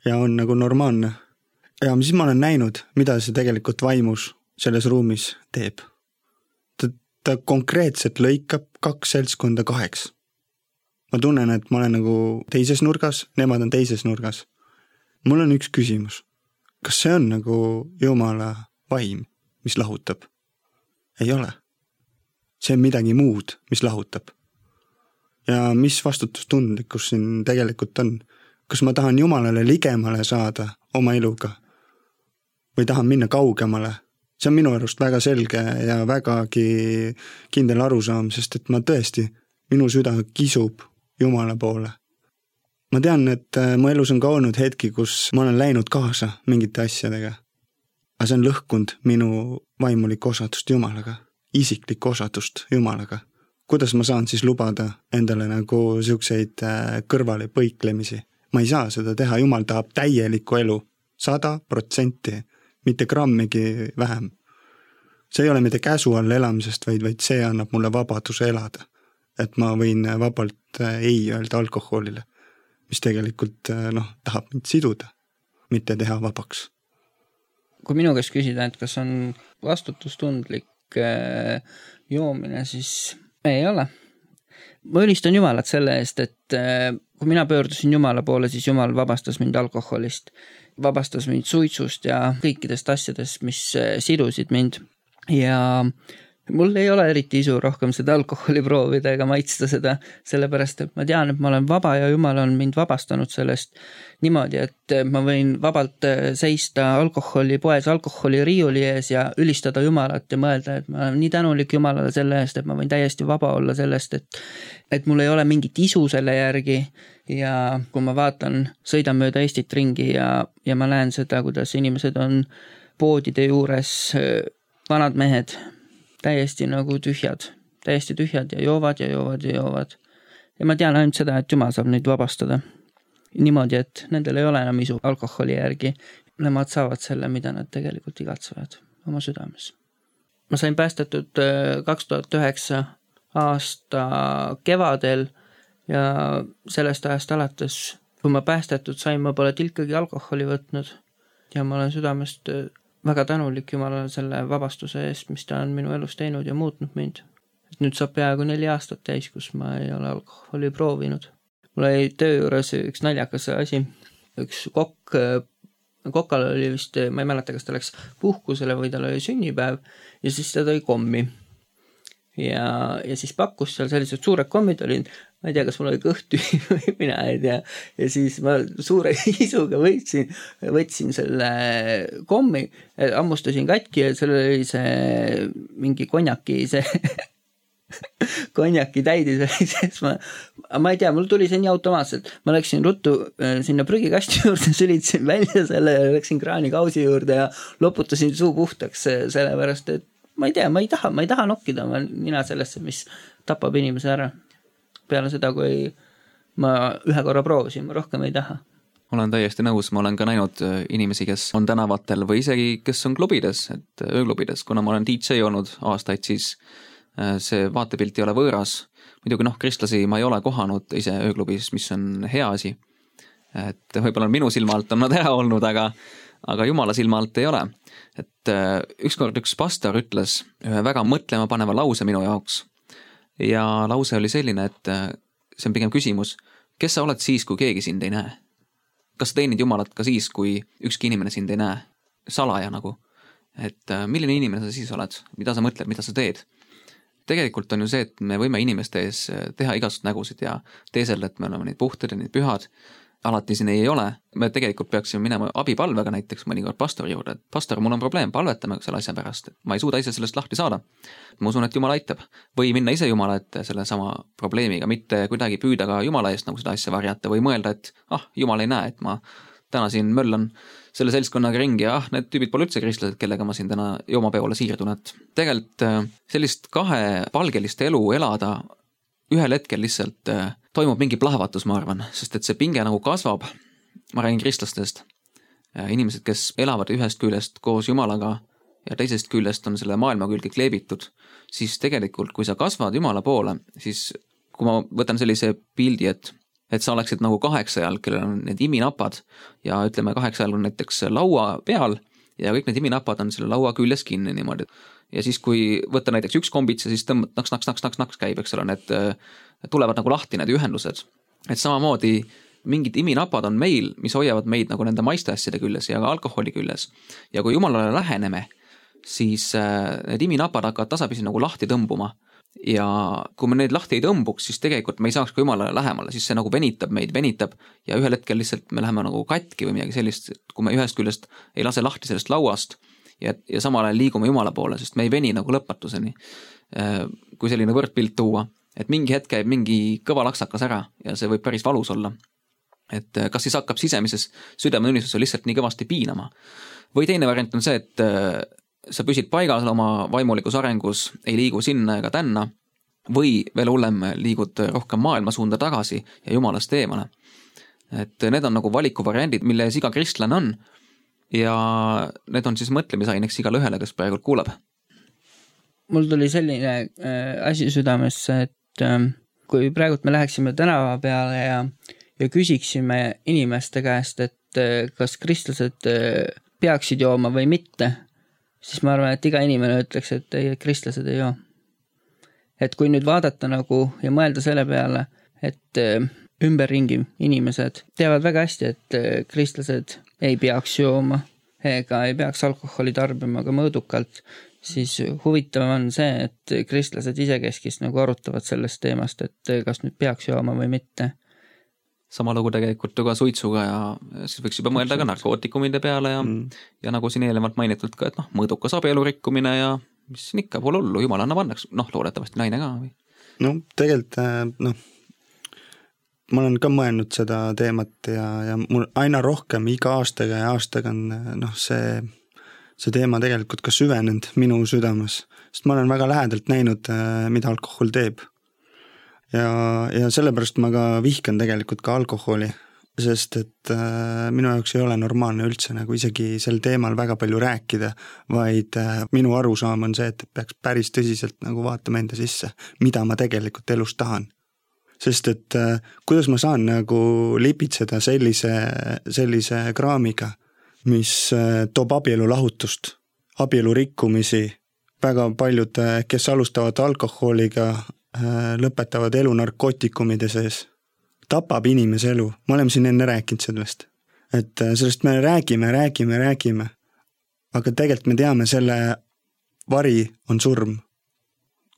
ja on nagu normaalne. Ja siis ma olen näinud, mida see tegelikult vaimus selles ruumis teeb. Ta konkreetselt lõikab 2 seltskonda 2. ma tunnen, et ma olen nagu teises nurgas, nemad on teises nurgas. Mul on üks küsimus. Kas see on nagu Jumala vaim, mis lahutab? Ei ole. See on midagi muud, mis lahutab. Ja mis vastutustundlikkus siin tegelikult on? Kas ma tahan Jumalale ligemale saada oma eluga? Või tahan minna kaugemale? See on minu arust väga selge ja vägagi kindel arusaam, sest et ma tõesti, minu süda kisub Jumala poole. Ma tean, et mu elus on ka olnud hetki, kus ma olen läinud kaasa mingite asjadega. Aga see on lõhkunud minu vaimulikku osadust Jumalaga, isiklikku osadust Jumalaga. Kuidas ma saan siis lubada endale nagu siukseid kõrvale põiklemisi? Ma ei saa seda teha, Jumal tahab täielikku elu, 100%, mitte grammigi vähem. See ei ole mitte käsu all elamisest, vaid see annab mulle vabaduse elada. Et ma võin vabalt ei öelda alkoholile, mis tegelikult tahab mind siduda, mitte teha vabaks. Kui minu käest küsida, et kas on vastutustundlik joomine, siis ei ole. Ma ülistan Jumalat selle eest, et kui mina pöördusin Jumala poole, siis Jumal vabastas mind alkoholist, vabastas mind suitsust ja kõikidest asjadest, mis sidusid mind. Ja mul ei ole eriti isu rohkem seda alkoholi proovida ega maitsta seda, sellepärast, et ma tean, et ma olen vaba ja Jumal on mind vabastanud sellest niimoodi, et ma võin vabalt seista alkoholipoes alkoholiriiuli ees ja ülistada Jumalat ja mõelda, et ma olen nii tänulik Jumalale selle eest, et ma võin täiesti vaba olla sellest, et mul ei ole mingit isu selle järgi ja kui ma vaatan, sõidan mööda Eestit ringi ja ma näen seda, kuidas inimesed on poodide juures, vanad mehed, täiesti nagu tühjad ja joovad. Ja ma tean ainult seda, et Jumal saab neid vabastada. Niimoodi, et nendel ei ole enam isu alkoholi järgi. Nemad saavad selle, mida nad tegelikult igatsevad oma südames. Ma sain päästetud 2009 aasta kevadel ja sellest ajast alates, kui ma päästetud sain, ma pole tilkagi alkoholi võtnud ja ma olen südamest väga tänulik Jumalale selle vabastuse eest, mis ta on minu elus teinud ja muutnud mind. Nüüd saab peaaegu 4 aastat täis, kus ma ei ole alkoholi proovinud. Mul oli töö juures üks naljakas asi. Üks kokal oli vist, ma ei mäleta, kas ta läks puhkusele või tal oli sünnipäev ja siis ta tõi kommi. Ja siis pakkus seal sellised suured kommid olid, ma ei tea, kas mul oli kõht tühi või mina ei tea. Ja siis ma suure isuga võtsin selle kommi, ammustasin katki ja seal oli see mingi konjaki täidis oli sees. Ma ei tea, mul tuli see nii automaatselt. Ma läksin ruttu sinna prügikasti juurde, sülitsin välja selle ja läksin kraanikausi juurde ja loputasin suu puhtaks sellepärast, et ma ei taha nokkida mina sellesse, mis tapab inimese ära. Peale seda, kui ma ühe korra proovisin, ma rohkem ei taha. Olen täiesti nõus, ma olen ka näinud inimesi, kes on tänavatel või isegi kes on klubides, et ööklubides, kuna ma olen DJ olnud aastaid, siis see vaatepilt ei ole võõras. Muidugi kristlasi ma ei ole kohanud ise ööklubis, mis on hea asi. Et võib-olla minu silma alt on nad ära olnud, aga Jumala silma alt ei ole. Et ükskord üks pastor ütles ühe väga mõtlema paneva lause minu jaoks. Ja lause oli selline, et see on pigem küsimus, kes sa oled siis, kui keegi sind ei näe? Kas sa teenid Jumalat ka siis, kui ükski inimene sind ei näe? Salaja nagu. Et milline inimene sa siis oled? Mida sa mõtled, mida sa teed? Tegelikult on ju see, et me võime inimeste ees teha igasugused nägusid ja teesel, et me oleme neid puhtad ja neid pühad. Alati siin ei ole. Me tegelikult peaksime minema abipalvega näiteks mõnikord pastori juurde. Et pastor, mul on probleem, palvetame selle asja pärast. Ma ei suuda ise sellest lahti saada. Ma usun, et Jumal aitab. Või minna ise Jumala ette selle sama probleemiga, mitte kuidagi püüda ka Jumala eest nagu seda asja varjata või mõelda, et Jumal ei näe, et ma täna siin möllan selle seltskonnaga ringi ja need tüübid pole üldse kristlased, kellega ma siin täna joomapeole siirdun. Et tegelikult sellist kahepalgelist elu elada ühel hetkel lihtsalt toimub mingi plahvatus, ma arvan, sest et see pinge nagu kasvab. Ma räägin kristlastest. Inimesed, kes elavad ühest küljest koos Jumalaga ja teisest küljest on selle maailma külge kleebitud, siis tegelikult, kui sa kasvad Jumala poole, siis kui ma võtan sellise pildi, et sa oleksid nagu 8 jalg, kellel on need iminapad ja ütleme 8 jalg on näiteks laua peal ja kõik need iminapad on selle laua küljes kinni niimoodi. Ja siis, kui võtta näiteks üks kombitse, siis tõmbad naks käib, eks ole, need tulevad nagu lahti need ühendused. Et samamoodi mingid iminapad on meil, mis hoiavad meid nagu nende maiste asjade küljes ja ka alkoholi küljes. Ja kui Jumalale läheneme, siis need iminapad hakkavad tasapisi nagu lahti tõmbuma. Ja kui me neid lahti ei tõmbuks, siis tegelikult me ei saaks ka Jumalale lähemale, siis see nagu venitab ja ühel hetkel lihtsalt me läheme nagu katki või midagi sellist, kui me ühest küljest ei lase lahti sellest lauast ja samal ajal liigume Jumala poole, sest me ei veni nagu lõpetuseni, kui selline võrdpilt tuua, et mingi hetk käib mingi kõva laksakas ära ja see võib päris valus olla. Et kas siis hakkab sisemises südametunnistusel lihtsalt nii kõvasti piinama. Või teine variant on see, et sa püsid paigas oma vaimulikus arengus, ei liigu sinna ega tänna või veel hullem liigud rohkem maailma suunda tagasi ja Jumalast eemale. Et need on nagu valikuvariandid, mille ees iga kristlane on ja need on siis mõtlemisaineks igale ühele, kes praegu kuulab. Mul tuli selline asi südamesse, et kui praegu me läheksime tänava peale ja küsiksime inimeste käest, et kas kristlased peaksid jooma või mitte, siis ma arvan, et iga inimene ütleks, et ei, kristlased ei joo. Et kui nüüd vaadata nagu ja mõelda selle peale, et ümberringi inimesed teavad väga hästi, et kristlased ei peaks jooma ega ei peaks alkoholi tarbima ka mõõdukalt, siis huvitav on see, et kristlased isekeskis nagu arutavad sellest teemast, et kas nüüd peaks jooma või mitte. Sama lugu tegelikult ka suitsuga ja siis võiks juba mõelda ka narkootikumide peale ja nagu siin eelnevalt mainitud ka, et mõõdukas abielu rikkumine ja mis siin ikka pole hullu, Jumal annab annaks, loodetavasti naine ka või? No tegelikult, ma olen ka mõelnud seda teemat ja mul aina rohkem iga aastaga on see teema tegelikult ka süvenenud minu südames, sest ma olen väga lähedalt näinud, mida alkohol teeb. Ja sellepärast ma ka vihkan tegelikult ka alkoholi, sest et minu jaoks ei ole normaalne üldse nagu isegi sel teemal väga palju rääkida, vaid minu arusaam on see, et peaks päris tõsiselt nagu vaatama enda sisse, mida ma tegelikult elus tahan. Sest et kuidas ma saan nagu lipitseda sellise kraamiga, mis toob abielu lahutust, abielu rikkumisi, väga paljud, kes alustavad alkoholiga, lõpetavad elu narkootikumide sees, tapab inimese elu. Me oleme siin enne rääkinud sellest. Et sellest me räägime, aga tegelikult me teame, selle vari on surm.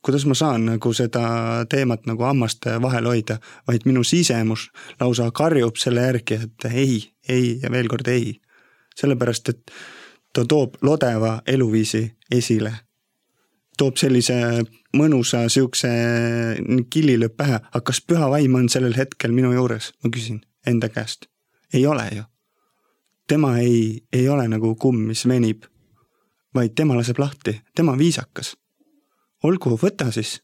Kuidas ma saan nagu seda teemat nagu hammaste vahel hoida, vaid minu sisemus lausa karjub selle järgi, et ei ja veel kord ei. Sellepärast, et ta toob lodeva eluviisi esile. Toob sellise mõnusa siukse killilööp pähe, aga kas püha vaim on sellel hetkel minu juures? Ma küsin enda käest. Ei ole ju. Tema ei ole nagu kumm, mis venib, vaid tema laseb lahti. Tema on viisakas. Olgu, võta siis.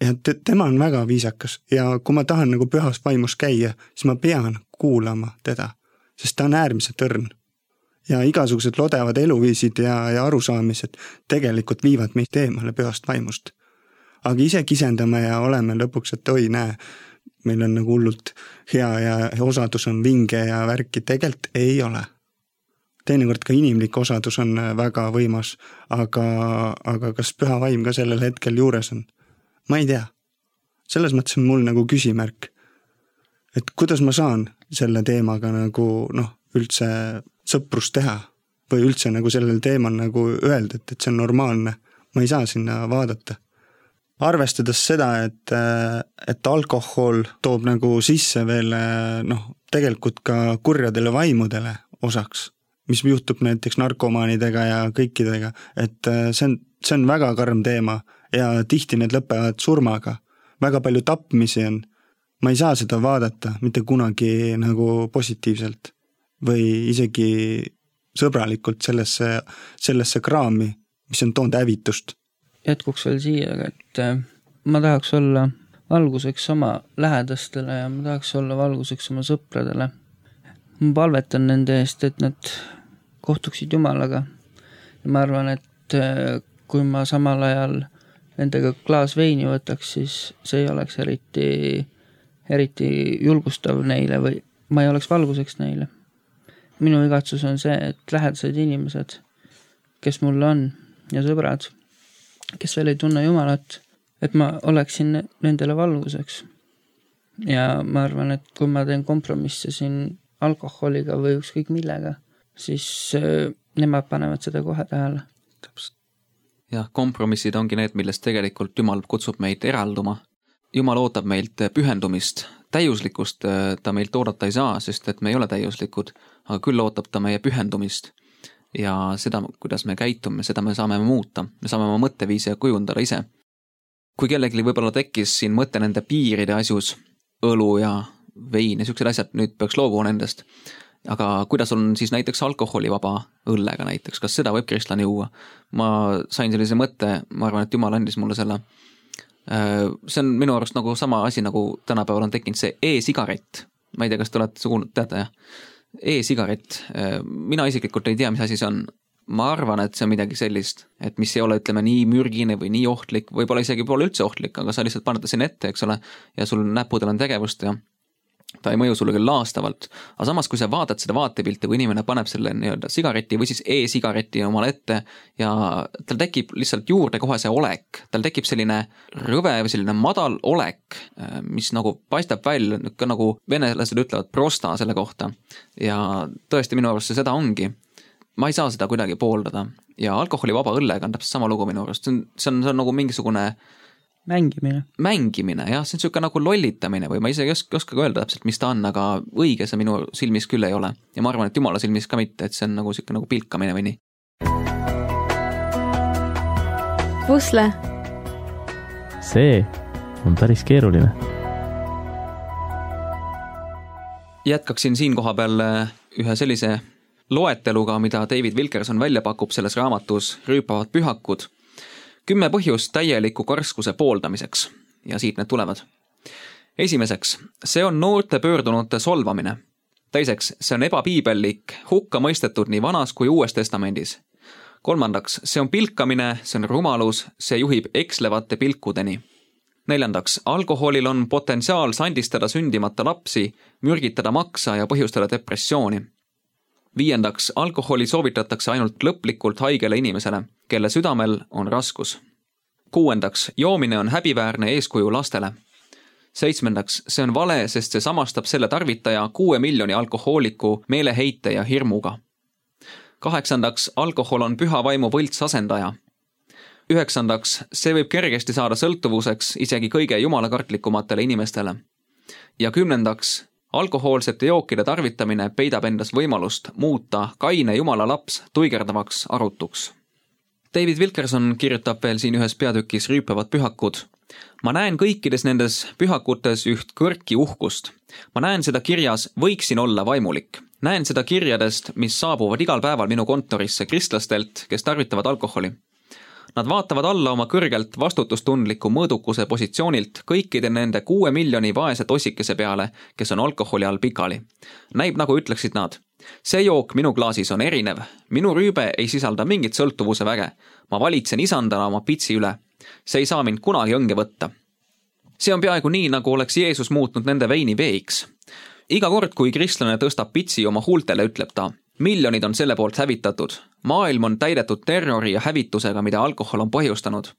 Ja tema on väga viisakas ja kui ma tahan nagu pühas vaimus käia, siis ma pean kuulama teda, sest ta on äärmiselt õrn. Ja igasugused lodevad eluviisid ja arusaamised tegelikult viivad meid eemale pühast vaimust. Aga ise kisendame ja oleme lõpuks, et oi näe, meil on nagu hullult hea ja osadus on vinge ja värki, tegelikult ei ole. Teinekord ka inimlik osadus on väga võimas, aga kas püha vaim ka sellel hetkel juures on? Ma ei tea. Selles mõttes on mul nagu küsimärk, et kuidas ma saan selle teemaga nagu üldse sõprust teha või üldse nagu sellel teemal nagu öelda, et see on normaalne. Ma ei saa sinna vaadata. Arvestades seda, et alkohol toob nagu sisse veel tegelikult ka kurjadele vaimudele osaks, mis juhtub näiteks narkomaanidega ja kõikidega, et see on väga karm teema ja tihti need lõpevad surmaga. Väga palju tapmisi on. Ma ei saa seda vaadata mitte kunagi nagu positiivselt või isegi sõbralikult sellesse kraami, mis on toonud hävitust. Jätkuks veel siia, et ma tahaks olla valguseks oma lähedastele ja ma tahaks olla valguseks oma sõpradele. Ma palvetan nende eest, et nad kohtuksid Jumalaga. Ja ma arvan, et kui ma samal ajal nendega klaas veini võtaks, siis see ei oleks eriti julgustav neile või ma ei oleks valguseks neile. Minu igatsus on see, et lähedased inimesed, kes mul on ja sõbrad, kes veel ei tunne Jumalat, et ma oleksin nendele valguseks. Ja ma arvan, et kui ma teen kompromisse siin alkoholiga või ükskõik millega, siis nemad panevad seda kohe tähele. Jah, kompromissid ongi need, millest tegelikult Jumal kutsub meid eralduma. Jumal ootab meilt pühendumist, täiuslikkust ta meilt oodata ei saa, sest et me ei ole täiuslikud, aga küll ootab ta meie pühendumist. Ja seda, kuidas me käitume, seda me saame muuta. Me saame oma mõtteviise kujundada ise. Kui kellelgi võib-olla tekkis siin mõte nende piiride asjus, õlu ja vein ja siuksed asjad, nüüd peaks loobuma nendest. Aga kuidas on siis näiteks alkoholivaba õllega näiteks, kas seda võib kristlane juua? Ma sain sellise mõtte, ma arvan, et Jumal andis mulle selle. See on minu arust nagu sama asi, nagu tänapäeval on tekkinud see e-sigaret. Ma ei tea, kas te olete kuulnud, teate jah? E-sigaret. Mina isiklikult ei tea, mis asi see on. Ma arvan, et see on midagi sellist, et mis ei ole, ütleme, nii mürgine või nii ohtlik, võib-olla isegi pole üldse ohtlik, aga sa lihtsalt paned siin ette, eks ole, ja sul näpudel on tegevust ja ta ei mõju sulle küll laastavalt, aga samas kui sa vaatad seda vaatepilti, kui inimene paneb selle nii-öelda sigareti või siis e-sigareti omale ette ja tal tekib lihtsalt juurde kohe see olek, tal tekib selline rõve või selline madal olek, mis nagu paistab välja, nagu venelased ütlevad prosta selle kohta ja tõesti minu arust see seda ongi. Ma ei saa seda kuidagi pooldada ja alkoholivaba õllega on täpselt sama lugu minu arust, see on nagu mingisugune Mängimine, jah, see on selline nagu lollitamine või ma isegi ei oska öelda täpselt, mis ta on, aga õige see minu silmis küll ei ole. Ja ma arvan, et Jumala silmis ka mitte, et see on nagu selline nagu pilkamine või nii. Pusle. See on päris keeruline. Jätkaksin siin koha peal ühe sellise loeteluga, mida David Wilkerson välja pakub selles raamatus Rüüpavad pühakud. 10 põhjust täieliku karskuse pooldamiseks ja siit need tulevad. Esimeseks, see on noorte pöördunute solvamine. Teiseks, see on ebapiibellik, hukka mõistetud nii vanas kui uues testamendis. Kolmandaks, see on pilkamine, see on rumalus, see juhib ekslevate pilkudeni. Neljandaks, alkoholil on potentsiaal sandistada sündimata lapsi, mürgitada maksa ja põhjustada depressiooni. Viiendaks, alkoholi soovitatakse ainult lõplikult haigele inimesele, kelle südamel on raskus. Kuuendaks, joomine on häbiväärne eeskuju lastele. Seitsmendaks, see on vale, sest see samastab selle tarvitaja 6 miljoni alkohooliku meeleheite ja hirmuga. Kaheksandaks, alkohol on püha vaimu võlts asendaja. Üheksandaks, see võib kergesti saada sõltuvuseks isegi kõige jumalakartlikumatele inimestele. Ja 10. Alkohoolsete jookide tarvitamine peidab endas võimalust muuta kaine jumala laps tuigerdavaks arutuks. David Wilkerson kirjutab veel siin ühes peatükis Rüüpavad pühakud. Ma näen kõikides nendes pühakutes üht kõrki uhkust. Ma näen seda kirjas võiksin olla vaimulik. Näen seda kirjadest, mis saabuvad igal päeval minu kontorisse kristlastelt, kes tarvitavad alkoholi. Nad vaatavad alla oma kõrgelt vastutustundliku mõõdukuse positsioonilt kõikide nende 6 miljoni vaese tossikese peale, kes on alkoholi all pikali. Näib nagu ütleksid nad. See jook minu klaasis on erinev. Minu rüübe ei sisalda mingit sõltuvuse väge. Ma valitsen isandana oma pitsi üle. See ei saa mind kunagi õnge võtta. See on peaaegu nii, nagu oleks Jeesus muutnud nende veini veiks. Iga kord, kui kristlane tõstab pitsi oma huultele, ütleb ta. Miljonid on selle poolt hävitatud. Maailm on täidetud terrori ja hävitusega, mida alkohol on põhjustanud.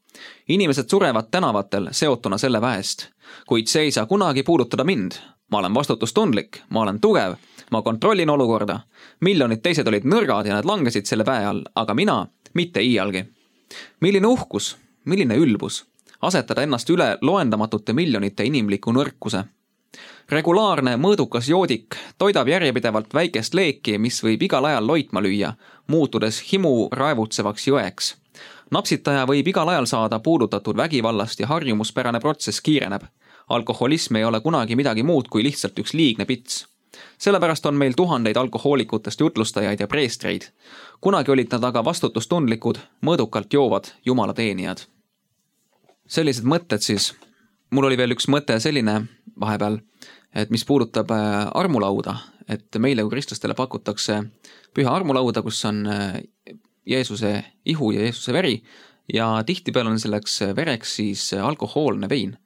Inimesed surevad tänavatel seotuna selle väest. Kuid see ei saa kunagi puudutada mind. Ma olen vastutustundlik, ma olen tugev, ma kontrollin olukorda. Miljonid teised olid nõrgad ja nad langesid selle väe all, aga mina mitte iialgi. Milline uhkus, milline ülbus. Asetada ennast üle loendamatute miljonite inimliku nõrkuse. Regulaarne mõõdukas joodik toidab järjepidevalt väikest leeki, mis võib igal ajal loitma lüüa, muutudes himu raevutsevaks jõeks. Napsitaja võib igal ajal saada puudutatud vägivallast ja harjumuspärane protsess kiireneb. Alkoholism ei ole kunagi midagi muud kui lihtsalt üks liigne pits. Sellepärast on meil tuhandeid alkohoolikutest jutlustajaid ja preestreid. Kunagi olid nad aga vastutustundlikud, mõõdukalt joovad jumala teenijad. Sellised mõtted siis. Mul oli veel üks mõte selline vahepeal, et mis puudutab armulauda, et meile kui kristlastele pakutakse püha armulauda, kus on Jeesuse ihu ja Jeesuse veri ja tihtipeale on selleks vereks siis alkohoolne vein.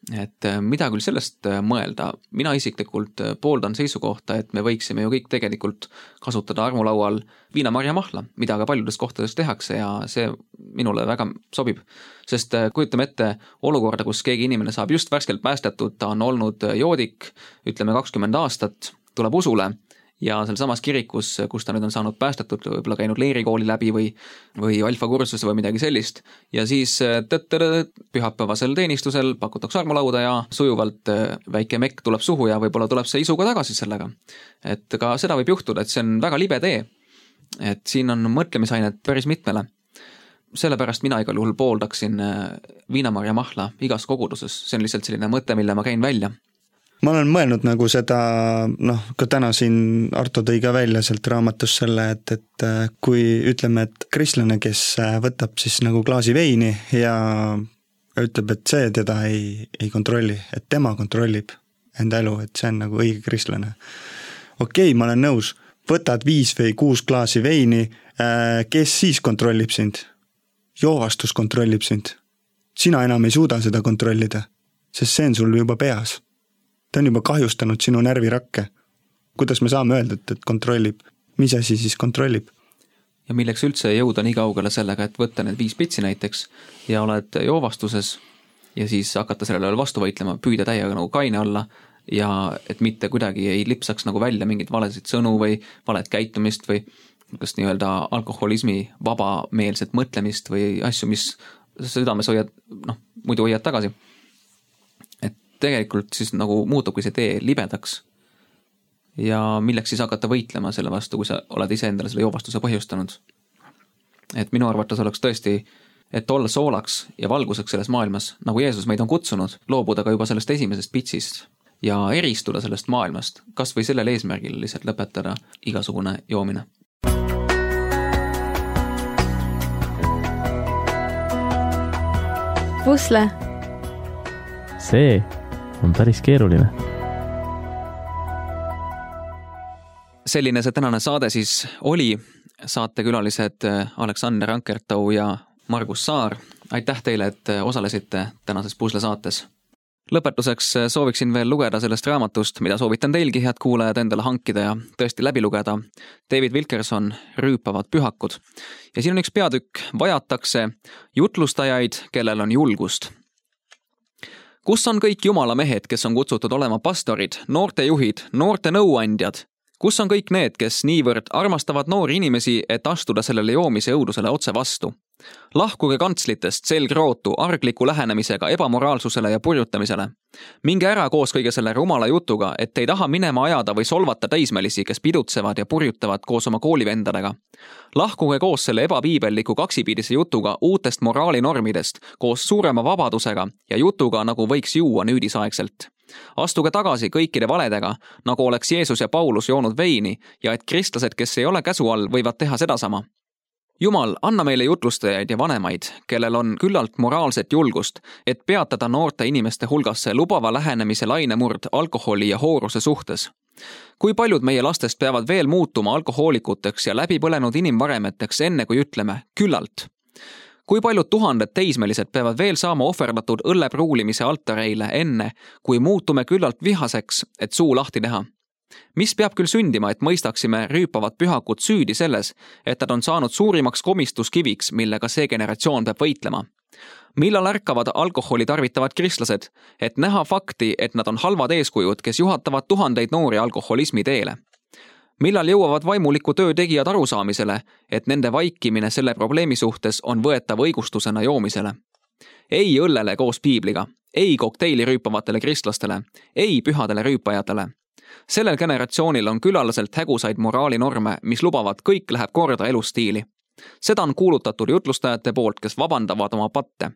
et mida küll sellest mõelda, mina isiklikult pooldan seisukohta, et me võiksime ju kõik tegelikult kasutada armulaual viinamarjamahla, mida ka paljudes kohtades tehakse ja see minule väga sobib. Sest kujutame ette olukorda, kus keegi inimene saab just värskelt päästetud, ta on olnud joodik, ütleme 20 aastat, tuleb usule ja seal samas kirikus, kus ta nüüd on saanud päästetud, võib-olla käinud leerikooli läbi või alfakursuse või midagi sellist ja siis pühapäevasel teenistusel pakutakse armulauda ja sujuvalt väike mekk tuleb suhu ja võib-olla tuleb see isuga tagasi sellega. Et ka seda võib juhtuda, et see on väga libe tee, et siin on mõtlemisainet päris mitmele. Sellepärast mina igal juhul pooldaksin viinamarjamahla igas koguduses, see on lihtsalt selline mõte, mille ma käin välja. Ma olen mõelnud nagu seda, ka täna siin Arto tõi ka välja sealt raamatus selle, et kui ütleme, et kristlane, kes võtab siis nagu klaasi veini ja ütleb, et see teda ei kontrolli, et tema kontrollib enda elu, et see on nagu õige kristlane. Okei, ma olen nõus, võtad 5 või 6 klaasi veini, kes siis kontrollib sind? Joovastus kontrollib sind. Sina enam ei suuda seda kontrollida, sest see on sul juba peas. Ta on juba kahjustanud sinu närvirakke. Kuidas me saame öelda, et kontrollib? Mis asi siis kontrollib? Ja milleks üldse jõuda nii kaugele sellega, et võtta need 5 pitsi näiteks ja oled joovastuses ja siis hakata sellele vastu võitlema, püüda täiega nagu kaine olla ja et mitte kuidagi ei lipsaks nagu välja mingid valesid sõnu või valet käitumist või kas nii-öelda alkoholismi vabameelset mõtlemist või asju, mis südames hoiad, muidu hoiad tagasi. Tegelikult siis nagu muutubki see tee libedaks ja milleks siis hakata võitlema selle vastu, kui sa oled ise endale selle joovastuse põhjustanud. Et minu arvates oleks tõesti, et olla soolaks ja valguseks selles maailmas, nagu Jeesus meid on kutsunud, loobuda ka juba sellest esimesest pitsist ja eristuda sellest maailmast, kas või sellel eesmärgil lihtsalt lõpetada igasugune joomine. Pusle. See on päris keeruline. Selline see tänane saade siis oli. Saatekülalised Aleksander Ankertau ja Margus Saar. Aitäh teile, et osalesite tänases Pusle saates. Lõpetuseks sooviksin veel lugeda sellest raamatust, mida soovitan teilgi, head kuulajad, endale hankida ja tõesti läbi lugeda. David Wilkerson, Rüüpavad pühakud. Ja siin on üks peatükk, vajatakse jutlustajaid, kellel on julgust. Kus on kõik Jumala mehed, kes on kutsutud olema pastorid, noortejuhid, noorte nõuandjad? Kus on kõik need, kes niivõrd armastavad noori inimesi, et astuda sellele joomise õudusele otse vastu? Lahkuge kantslitest selgrootu, argliku lähenemisega, ebamoraalsusele ja purjutamisele. Minge ära koos kõige selle rumala jutuga, et ei taha minema ajada või solvata täismelisi, kes pidutsevad ja purjutavad koos oma koolivendadega. Lahkuge koos selle ebapiibelliku kaksipiidise jutuga uutest moraalinormidest, koos suurema vabadusega ja jutuga, nagu võiks juua nüüdisaegselt. Astuge tagasi kõikide valedega, nagu oleks Jeesus ja Paulus joonud veini ja et kristlased, kes ei ole käsu all, võivad teha sedasama. Jumal, anna meile jutlustajaid ja vanemaid, kellel on küllalt moraalset julgust, et peatada noorte inimeste hulgasse lubava lähenemise lainemurd alkoholi ja hooruse suhtes. Kui paljud meie lastest peavad veel muutuma alkohoolikuteks ja läbipõlenud inimvaremeteks enne, kui ütleme küllalt? Kui paljud tuhanded teismelised peavad veel saama ohverdatud õllepruulimise altareile enne, kui muutume küllalt vihaseks, et suu lahti teha? Mis peab küll sündima, et mõistaksime rüüpavad pühakud süüdi selles, et nad on saanud suurimaks komistuskiviks, millega see generatsioon peab võitlema? Millal ärkavad alkoholi tarvitavad kristlased, et näha fakti, et nad on halvad eeskujud, kes juhatavad tuhandeid noori alkoholismi teele? Millal jõuavad vaimuliku töö tegijad arusaamisele, et nende vaikimine selle probleemi suhtes on võetav õigustusena joomisele? Ei õllele koos piibliga, ei kokteili rüüpavatele kristlastele, ei pühadele rüüpajatele. Sellel generatsioonil on külalaselt hägusaid moraalinorme, mis lubavad kõik läheb korda elustiili. Seda on kuulutatud jutlustajate poolt, kes vabandavad oma patte.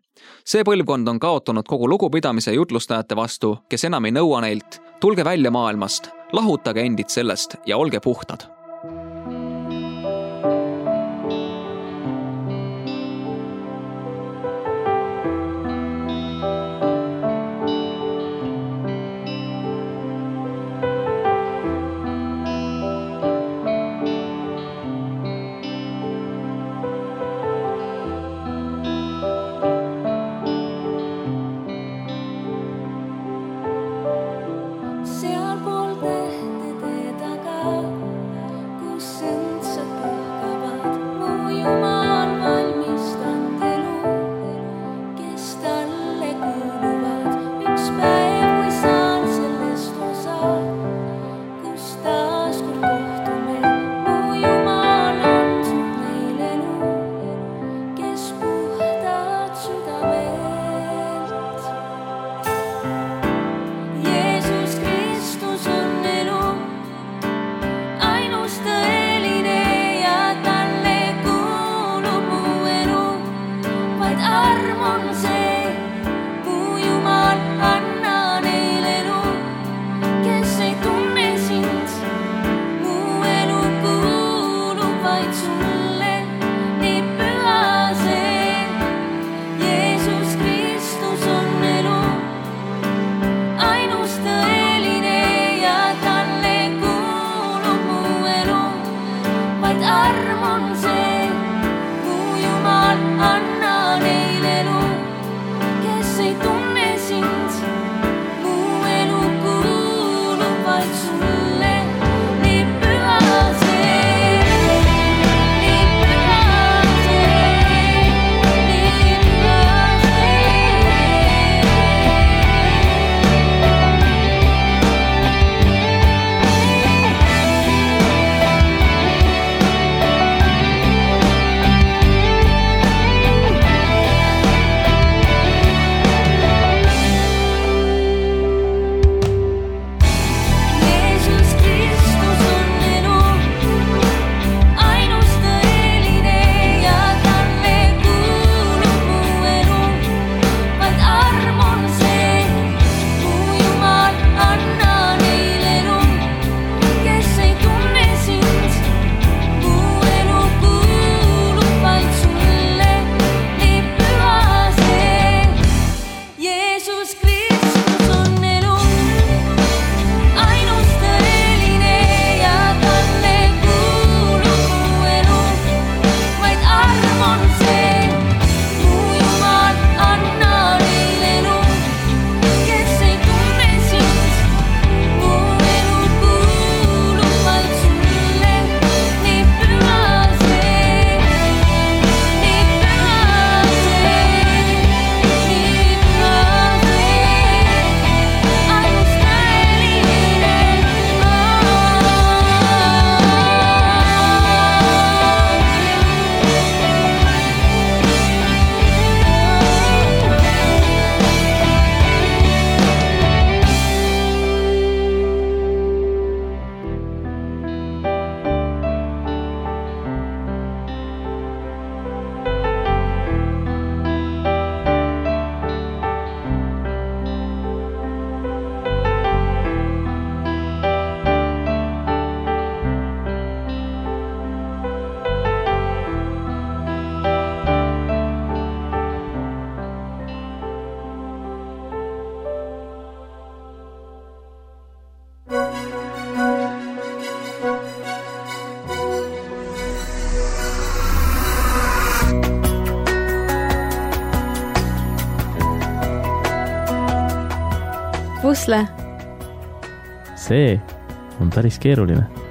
See põlvkond on kaotanud kogu lugupidamise jutlustajate vastu, kes enam ei nõua neilt. Tulge välja maailmast, lahutage endid sellest ja olge puhtad. Pusle. See on päris keeruline.